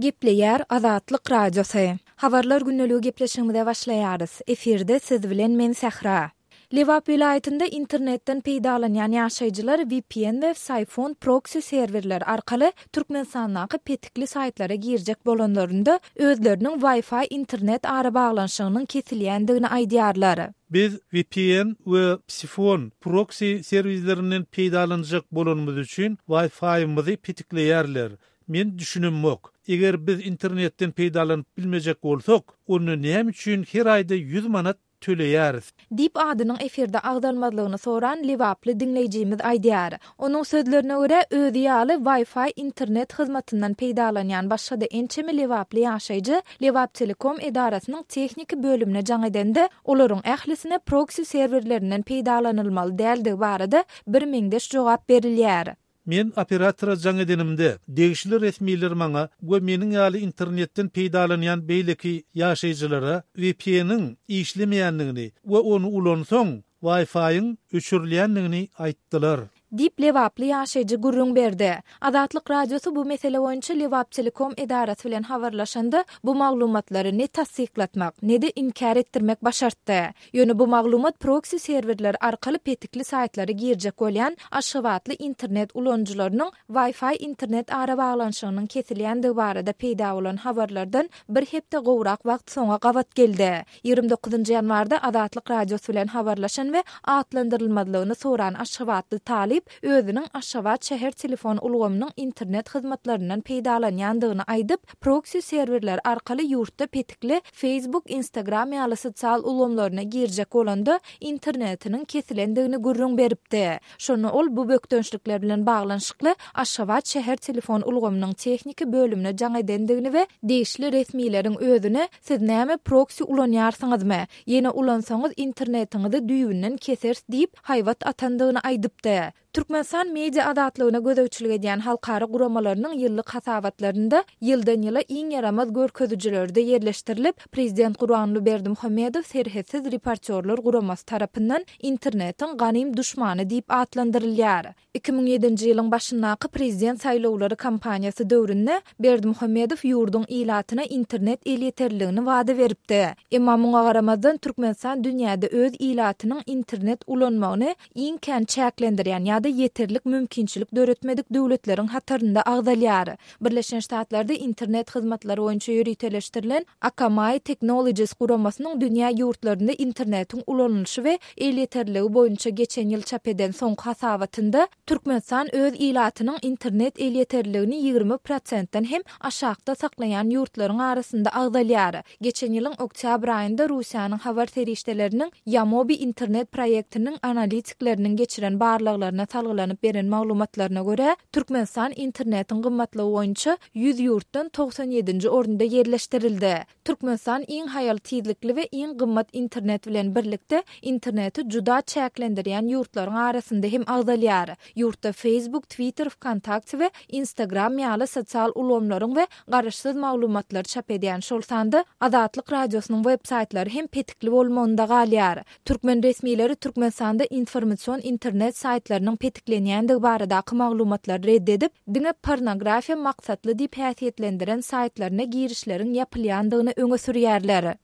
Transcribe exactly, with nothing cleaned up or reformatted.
Gepleýär Azatlyk Radiosy. Habarlar gündeligi gepleşigimize başlaýarys. Efirde siz bilen men Sähra. Lebap welaýatynda internetden peýdalanýan ýaşaýjylar V P N we Psiphon proksi serwerleri arkaly Türkmenistandaky petikli saýtlara girjek bolanlarynda özleriniň Wi-Fi internet arabaglanyşygynyň kesilýändigini aýdýarlar. Biz V P N we Psiphon proksi serwislerinden peýdalanjak bolanymyz üçin Wi-Fi-mizi petikleýärler. Men düşünemok. Eger biz internetden peýdalanyp bilmejek bolsak, onda näme üçin her aýda ýüz manat töleýäris? Diýip adynyň efirde agzalmazlygyny soran Lebaply diňleýjimiz aýdýar. Onuň sözlerine görä, özi ýaly Wi-Fi internet hyzmatyndan peýdalanýan başga-da ençeme Lebaply ýaşaýjy Lebap Telekom edarasynyň tehniki bölümine jaň edende, olaryň ählisine proksi serwerlerinden peýdalanylmaly däldigi barada bir meňzeş jogap berilýär. Men operatora jaň edenimde degişli resmiler maňa we meniň ýaly internetden peýdalanýan beýleki ýaşaýjylara V P N-iň işlemeýändigini we ony ulansaň Wi-Fi-iň öçürilýändigini aýtdylar. Diýip Lebaply ýaşaýjy gürrüň berdi. Azatlyk Radiosy bu mesele boýunça Lebap Telekom edarasy bilen habarlaşanda bu maglumatlary ne tassyklatmak, ne-de inkär etdirmek başartdy. Ýöne bu maglumat proksi serwerler arkaly petikli saýtlara girjek bolýan Aşgabatly internet ulanyjylarynyň Wi-Fi internet arabaglanyşygynyň kesilýändigi barada peýda bolan habarlardan bir hepde gowrak wagt soňa gabat geldi. ýigrimi dokuzynjy ýanwarda Azatlyk Radiosy bilen habarlaşan we atlandyrylmazlygyny soran Aşgabatly talyp özüniň Aşgabat şäher telefon ulgamynyň internet hyzmatlaryndan peýdalanýandygyny aýdyp, proksi serwerler arkaly ýurtda petikli Facebook, Instagram ýaly sosial ulgamlaryna girjek bolanda internetiniň kesilendigini gürrüň beripdi. Şonda ol bu bökdençlikler bilen baglanyşykly Aşgabat şäher telefon ulgamynyň tehniki bölümine jaň edendigini we degişli resmileriň özüne "Siz näme proksi ulanýarsyňyzmy? Ýene ulansaňyz internetiňizi düýbünden keseris" diýip haýbat atandygyny aýdypdy. Türkmenistan media azatlygyna gözegçilik edýän halkara guramalarynyň ýyllyk hasabatlarynda ýyldan ýyla iň ýaramaz görkezijilerde ýerleşdirilip, Prezident Gurbanguly Berdimuhamedow Serhetsiz reportýorlar guramasy tarapyndan internetiň ganym duşmany diýip atlandyrylýar. iki müň ýedinji ýylyň başyndaky prezident saýlawlary kampaniýasy döwründe Berdimuhamedow ýurduň ilatyna internet elýeterliligini wada beripdi. Emma muňa garamazdan Türkmenistan dünýäde öz ilatynyň internet ulanmagyny iň kän çäklendirýän ýa-da ýeterlik mümkinçilik döretmedik döwletleriň hatarynda agzalýar. Birleşen Ştatlarda internet hyzmatlary boýunça ýöriteleşdirilen Akamai Technologies guramasynyň dünýä ýurtlarynda internetiň ulanylyşy we elýeterligi boýunça geçen ýyl çap eden soňky hasabatynda Türkmenistan öz ilatynyň internet elýeterliligini ýigrimi prosentden hem aşakda saklaýan ýurtlaryň arasynda agzalýar. Geçen ýylyň oktýabr aýynda Russiýanyň habar serişdeleriniň Yamobi internet proýektiniň analitikleriniň geçiren barlaglaryna salgylanyp beren maglumatlaryna görä, Türkmenistan internetiň gymmatlygy boýunça ýüz ýurtdan togsan ýedinji orunda ýerleşdirildi. Türkmenistan iň haýal tizlikli we iň gymmat internet bilen birlikde interneti juda çäklendirýän ýurtlaryň arasynda hem agzalýar. Ýurtda Facebook, Twitter, VKontakte we Instagram ýaly sosial ulgamlaryň we garaşsyz maglumatlary çap edýän, şol sanda Azatlyk Radiosynyň web saýtlary hem petikli bolmagynda galýar. Türkmen resmileri Türkmenistanda informasion internet saýtlarynyň petiklenýändigi baradaky maglumatlary red edip, diňe pornografiýa maksatly diýip häsiýetlendiren saýtlaryna girişleriň ýapylýandygyny öňe sürýärler.